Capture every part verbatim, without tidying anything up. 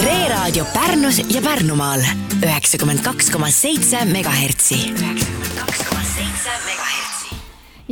Veeraadio Pärnus ja Pärnumaal üheksakümmend kaks koma seitse megahertsi. üheksakümmend kaks koma seitse megahertsi.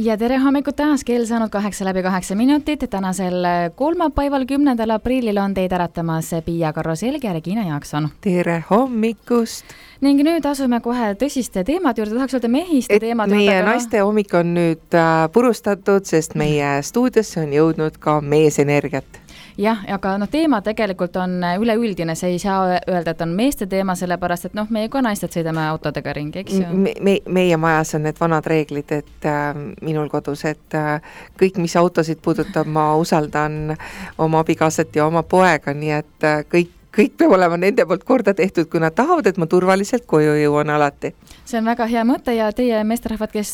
Ja tere hommikut taas, kell saanud kaheksa läbi kaheksa minutit. Tänasel kolmapäeval kümnendal aprillil on teid äratamas Piia Karro-Selg ja Regina Jaakson. Tere hommikust! Ning nüüd asume kohe tõsiste teemad juurde, tahaks öelda mehiste teemad. Meie juurde, naiste hommik on nüüd purustatud, sest meie stuudiosse on jõudnud ka meesenergiat. Jah, aga no teema tegelikult on üleüldine, see ei saa öelda, et on meeste teema, sellepärast, et noh, meie ka naisted sõidame autodega ringi, eks ju? Me, me, meie majas on need vanad reeglid, et äh, minul kodus, et äh, kõik, mis autosid puudutab, ma usaldan oma abikaasat ja oma poega, nii et äh, kõik kõik peab olema nende poolt korda tehtud, kui nad tahavad, et ma turvaliselt koju jõuan alati. See on väga hea mõte ja teie meesterahvad, kes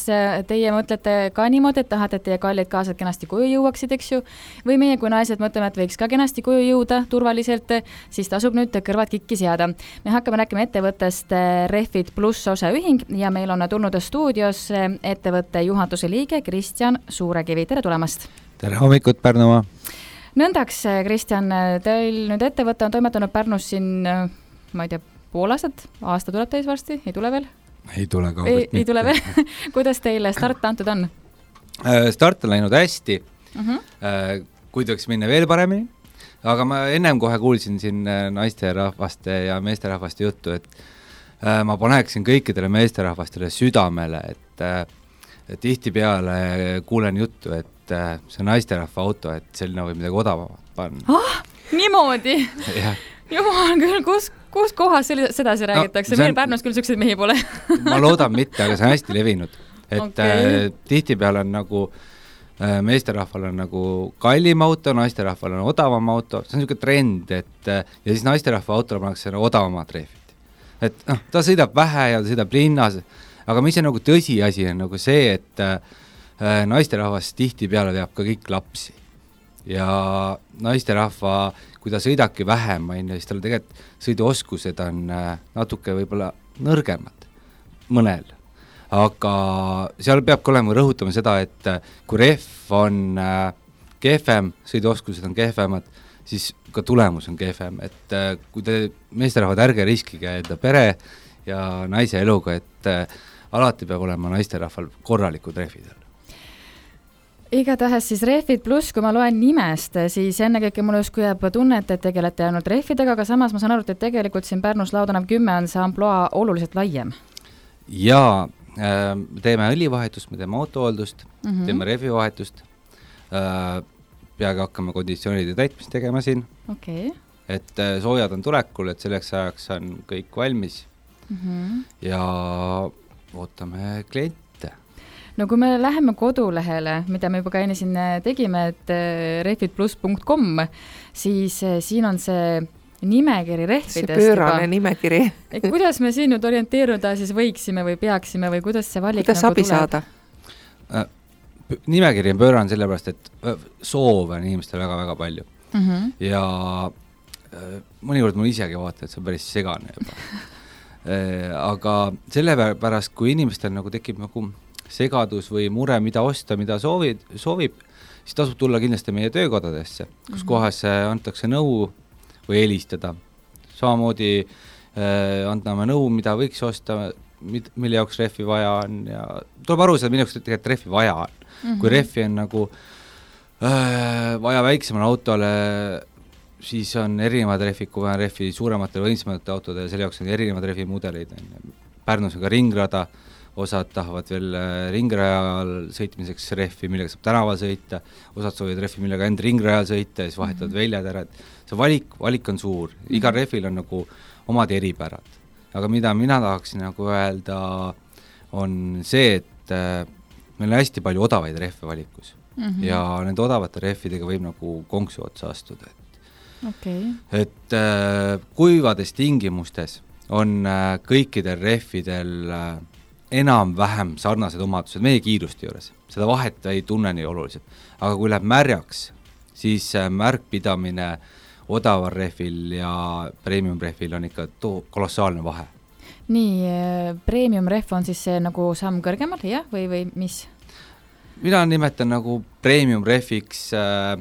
teie mõtlete ka niimoodi, et tahate, et teie kallid kaasad kenasti koju jõuaksid, eks ju, või meie kui naised mõtleme, et võiks ka kenasti koju jõuda turvaliselt, siis tasub nüüd kõrvad kikki seada. Me hakkame rääkima ettevõttest Refit Plus osaühing ja meil on tulnud stuudios ettevõtte juhatuse liige Kristjan Suurekivi. Tere tulemast! Tere hommikut, Pärnumaa! Nõndaks, Kristjan, teil nüüd ettevõte on toimetanud Pärnus siin, ma ei tea, pool aastat, aasta tuleb täis varsti, ei tule veel? Ei tule kaugelt ei, mitte. Ei tule veel. Kuidas teile start antud on? Start on läinud hästi, uh-huh. kui tohiks minna veel paremini, aga ma ennem kohe kuulsin siin naisterahvaste ja meesterahvaste juttu, et ma paneksin kõikidele meesterahvastele südamele, et tihtipeale kuulen juttu, et see naisterahva auto, et selline võib midagi odavamat panna. Ah, niimoodi? Jumal küll, kus, kus kohas sedasi räägitakse? No, meil on... Pärnus küll sükseid mehi pole. Ma loodan mitte, aga see on hästi levinud. Et okay. äh, tihtipeale on nagu, äh, meesterahval on nagu kallim auto, naisterahval on odavam auto. See on niisugune trend, et äh, ja siis naisterahva autole pannakse odavamad rehvid. Et noh, ta sõidab vähe ja ta sõidab linnas, aga mis on nagu tõsiasi on nagu see, et äh, naisterahvas tihtipeale veab ka kõik lapsi ja naisterahva, kui ta sõidabki vähem, siis tal tegelikult sõiduoskused on natuke võib-olla nõrgemad mõnel, aga seal peabki olema rõhutama seda, et kui rehv on kehvem, sõiduoskused on kehvemad, siis ka tulemus on kehvem, et kui te meesterahvad ärge riskige enda pere ja naise eluga, et alati peab olema naisterahval korralikud rehvid. Igatahes siis Refit Plus, kui ma loen nimest, siis ennekõike mulle justkui jääb tunnet, et tegelete ainult rehvidega, aga samas ma saan aru, et tegelikult siin Pärnus Laudanev kümme on see amploa oluliselt laiem. Jaa, äh, teeme õlivahetust, me teeme autohooldust, mm-hmm. teeme rehvivahetust, äh, peagi hakkame konditsioonide täitmist tegema siin, okay. et äh, soojad on tulekul, et selleks ajaks on kõik valmis mm-hmm. ja ootame klienti. No kui me läheme kodulehele, mida me juba ka enne siin tegime, et refit plus punkt com, siis siin on see nimekiri rehvidest. See pöörane juba. Nimekiri. Kuidas me siin nüüd orienteeruda siis võiksime või peaksime või kuidas see valik kuidas nagu abi tuleb? saada? Äh, nimekiri on pöörane sellepärast, et soove on inimestel väga-väga palju. Mm-hmm. Ja äh, mõnikord mul isegi vaata, et see on päris segane juba. äh, aga sellepärast, kui inimestel nagu tekib nagu segadus või mure, mida osta, mida soovid, soovib, siis tasub tulla kindlasti meie töökodadesse, kus mm-hmm. kohas antakse nõu või helistada. Samamoodi äh, anname nõu, mida võiks osta, mille jaoks rehvi vaja on ja tuleb aru seda, mille jaoks tegelikult rehvi vaja on. Mm-hmm. Kui rehvi on nagu äh, vaja väiksemale autole, siis on erinevad rehvid, kui vaja rehvi suurematele võimsamate autode ja selle jaoks on erinevad rehvi mudeleid. Pärnus on ka ringrada, osad tahavad veel ringrajal sõitmiseks rehvi, millega saab tänaval sõita, osad soovivad rehvi, millega end ringrajal sõita ja siis vahetavad mm-hmm. väljad ära. See valik, valik on suur, mm-hmm. igal rehvil on nagu omad eripärad. Aga mida mina tahaksin nagu öelda, on see, et meil on hästi palju odavaid rehve valikus mm-hmm. ja nende odavate rehvidega võib nagu konksu otsa astuda. Et, okay. et äh, kuivades tingimustes on äh, kõikidel rehvidel äh, enam-vähem sarnased omadused meie kiiruste juures. Seda vahet ei tunne nii oluliselt. Aga kui läheb märjaks, siis märkpidamine odaval rehvil ja premium rehvil on ikka too kolossaalne vahe. Nii, premium rehv on siis see nagu samm kõrgemal, jah? Või, või mis? Mina nimetan nagu premium rehviks äh,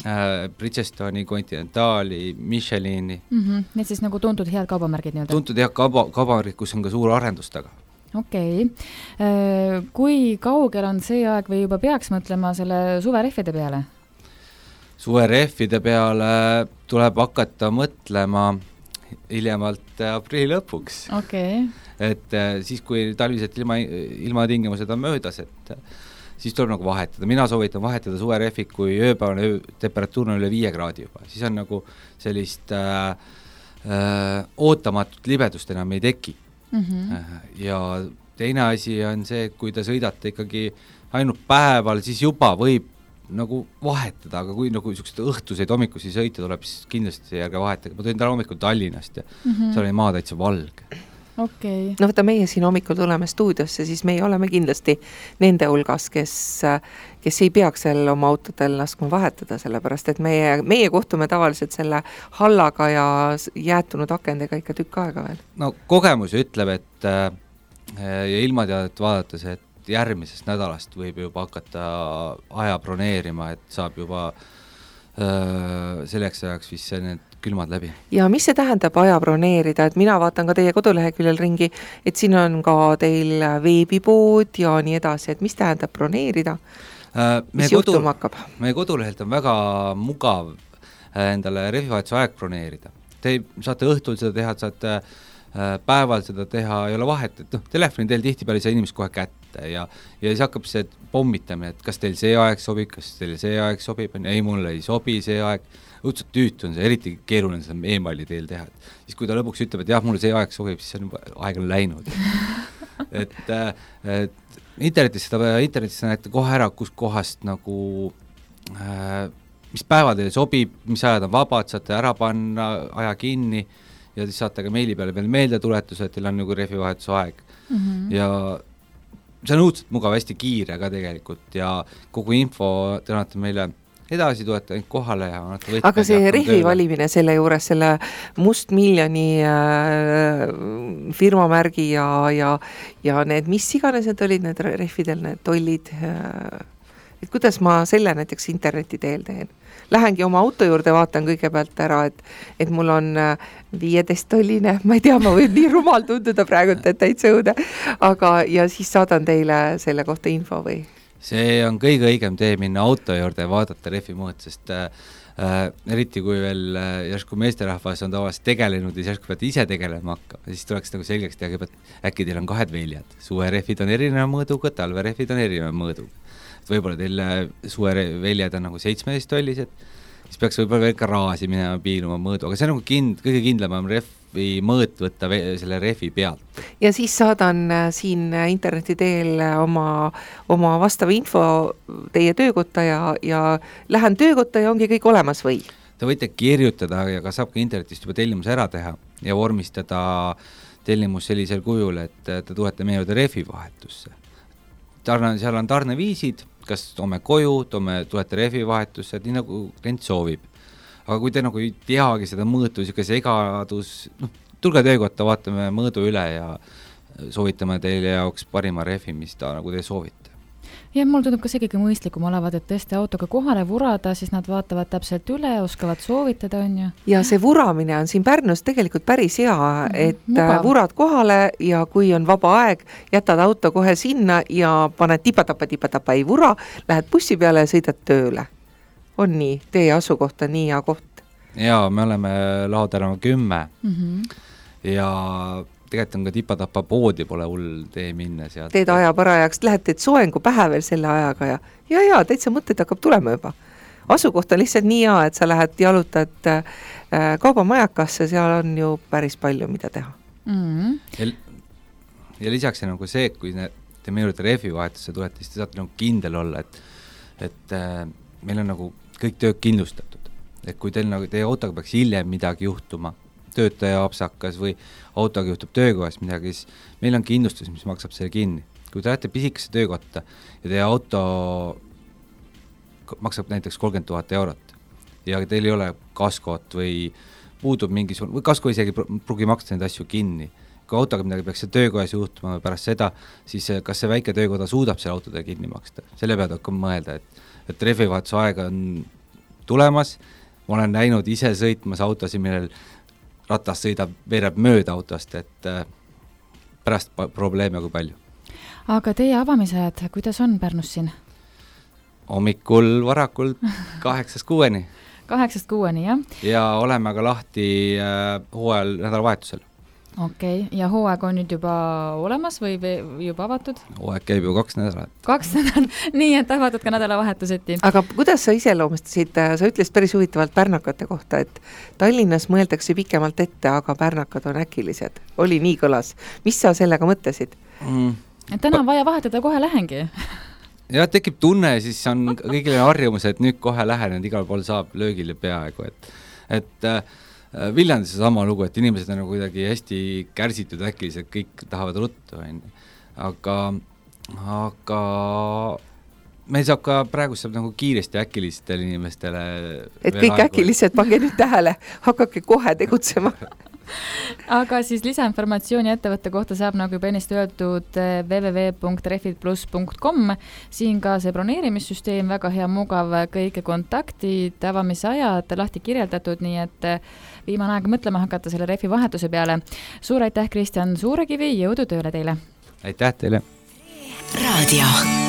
äh, Bridgestoni, Continentali, Michelini mm. -hmm. Need siis nagu tuntud head kaubamärgid nii-öelda? Tuntud head kauba, kaubamärgid, kus on ka suur arendus taga. Okei. Okay. Kui kaugel on see aeg või juba peaks mõtlema selle suverehvide peale? Suverehvide peale tuleb hakata mõtlema hiljemalt aprilli lõpuks. Okay. Et siis, kui talviselt ilma, ilmatingimused on möödas, et siis tuleb nagu vahetada. Mina soovitan vahetada suverehvid, kui ööpäevane öö, temperatuur on üle viie kraadi juba. Siis on nagu sellist äh, äh, ootamatut libedust enam ei teki. Mm-hmm. Ja teine asi on see, kui te sõidate ikkagi ainult päeval, siis juba võib nagu vahetada, aga kui nagu niisugused õhtuseid hommikusi sõita tuleb, siis kindlasti järge vahetage. Ma tulin täna hommikul Tallinnast ja mm-hmm. seal oli maa täitsa valge. Okay. No võta, meie siin hommikul tuleme stuudiosse, siis meie oleme kindlasti nende hulgas, kes, kes ei peaks seal oma autodel laskma vahetada, sellepärast et meie, meie kohtume tavaliselt selle hallaga ja jäätunud akendega ikka tükk aega veel. No kogemus ütleb, et äh, ja ilmateadet vaadates, et järgmisest nädalast võib juba hakata aja broneerima, et saab juba öö, selleks ajaks vist need külmad läbi. Ja mis see tähendab aja broneerida, et mina vaatan ka teie koduleheküljel ringi, et siin on ka teil veebipood ja nii edasi, et mis tähendab broneerida? Äh, mis kodu, juhtuma hakkab? Meie kodulehelt on väga mugav endale rehvivahetuse aeg broneerida. Te saate õhtul seda teha, saate päeval seda teha, ei ole vahet, et noh, telefoni teel tihtipeale ei saa inimest kohe kätte ja, ja siis hakkab see pommitamine, et kas teil see aeg sobib, kas teil see aeg sobib, ei, mulle ei sobi see aeg, õudselt tüütu on see, eriti keeruline seda e-maili teel teha, et siis kui ta lõpuks ütleb, et jah, mulle see aeg sobib, siis on juba aeg on läinud. et, et internetis seda, internetis näete kohe ära, kus kohast nagu äh, mis päeva teile sobib, mis ajad on vabad, saate ära panna, aja kinni ja siis saate ka meili peale veel meelde tuletuse, et teil on nagu rehvivahetuse aeg. Mm-hmm. Ja see on õudselt mugav, hästi kiire ka tegelikult ja kogu info te annate meile edasi, tulete kohale ja annate võtme. Aga see rehvi valimine selle juures, selle must miljoni äh, firmamärgi ja, ja, ja need, mis iganes need olid, need rehvidel, need tollid, äh, et kuidas ma selle näiteks interneti teel teen? Lähengi oma auto juurde, vaatan kõigepealt ära, et, et mul on viieteist tolline, ma ei tea, ma võib nii rumal tunduda praegu, et täitsa õude, aga ja siis saadan teile selle kohta info või? See on kõige õigem tee minna auto juurde ja vaadata rehvi mõõt, sest äh, eriti kui veel äh, järsku meesterahvas on tavaliselt tegelenud ja järsku peate ise tegelema hakkama, siis tuleks nagu selgeks teha, et äkki teil on kahed väljad. Suverehvid on erineva mõõduga, talverehvid on erineva mõõduga. Võib-olla teil suveväljad on nagu seitsmeteist tollised, siis peaks võib-olla veel ka raasi minema piiluma mõõdu, aga see on nagu kind, kõige kindlam rehvi mõõt võtta selle rehvi pealt. Ja siis saadan siin interneti teel oma, oma vastava info teie töökotta ja, ja lähen töökotta ja ongi kõik olemas või? Te võite kirjutada ja ka saab ka internetist juba tellimus ära teha ja vormistada tellimus sellisel kujul, et te tulete meie juurde rehvi vahetusse. Tarne, seal on tarneviisid, kas toome koju, toome, tulete rehvi vahetusse, et nii nagu klient soovib. Aga kui te nagu ei teagi seda mõõtu, siuke segadus, noh, tulge töökotta, vaatame mõõdu üle ja soovitame teile jaoks parima rehvi, mis ta nagu te soovite. Ja mul tundub ka see kõige mõistlikum olevat, et tõesti autoga kohale vurada, siis nad vaatavad täpselt üle, oskavad soovitada, on ju. Ja see vuramine on siin Pärnus tegelikult päris hea, et Mugav. Vurad kohale ja kui on vaba aeg, jätad auto kohe sinna ja paned tipatapa, tipatapa ei vura, lähed bussi peale ja sõidad tööle. On nii, teie asukoht on nii hea koht. Jaa, me oleme Lao tänava kümme mm-hmm. ja tegelikult on ka tipatapa poodi pole hull tee minna sealt. Teed aja parajaks, lähed teed soengu pähe veel selle ajaga ja ja, ja täitsa mõtted hakkab tulema juba. Asukoht on lihtsalt nii hea, et sa lähed jalutad äh, kaubamajakasse, seal on ju päris palju, mida teha. Mm-hmm. Ja, ja lisaks nagu see, kui ne, te meie juurde rehvi vahetusse tulete, siis te saate nagu kindel olla, et, et äh, meil on nagu kõik tööd kindlustatud. Et kui teil nagu teie autoga peaks hiljem midagi juhtuma, töötaja apsakas või autoga juhtub töökohas midagi, siis meil on kindlustus, mis maksab selle kinni. Kui te lähete pisikesse töökotta ja teie auto maksab näiteks kolmkümmend tuhat eurot ja teil ei ole kaskot või puudub mingisugune, või kasko isegi pruugi maksta neid asju kinni. Kui autoga midagi peaks see töökohas juhtuma pärast seda, siis kas see väike töökoda suudab selle autodele kinni maksta? Selle pealt hakkab mõelda, et, et rehvivahetuse aega on tulemas, ma olen näinud ise sõitmas autosid, millel ratas sõidab, veereb mööda autost, et äh, pärast probleeme kui palju. Aga teie avamisajad, kuidas on Pärnus siin? Hommikul varakult kaheksast kuueni. Kaheksast kuueni, jah? Ja oleme ka lahti äh, hooajal nädalavahetusel. Okei, okay. Ja hooaeg on nüüd juba olemas või juba avatud? Hooaeg käib ju kaks nädalat. Kaks nädalat, nii et avatud ka nädalavahetuseti. Aga kuidas sa iseloomustasid, sa ütlesid päris huvitavalt pärnakate kohta, et Tallinnas mõeldakse pikemalt ette, aga pärnakad on äkilised. Oli nii kõlas. Mis sa sellega mõtlesid? Mm. Et täna on vaja vahetada, kohe lähengi. Ja tekib tunne, siis on kõigile harjumus, et nüüd kohe lähen, et igal pool saab löögile peaaegu, et, et äh, Viljandis on sama lugu, et inimesed on kuidagi hästi kärsitud äkilised, kõik tahavad ruttu, aga, aga meil saab ka praegu saab nagu kiiresti äkilistele inimestele et kõik äkilised, pange nüüd tähele, hakake kohe tegutsema. Aga siis lisainformatsiooni ettevõtte kohta saab nagu juba ennist öeldud w w w punkt refit plus punkt com. Siin ka see broneerimissüsteem, väga hea, mugav, kõike kontaktid, avamisajad lahti kirjeldatud, nii et viimane aeg mõtlema hakata selle refi vahetuse peale. Suur aitäh, Kristjan Suurekivi, jõudu tööle teile! Aitäh teile! Raadio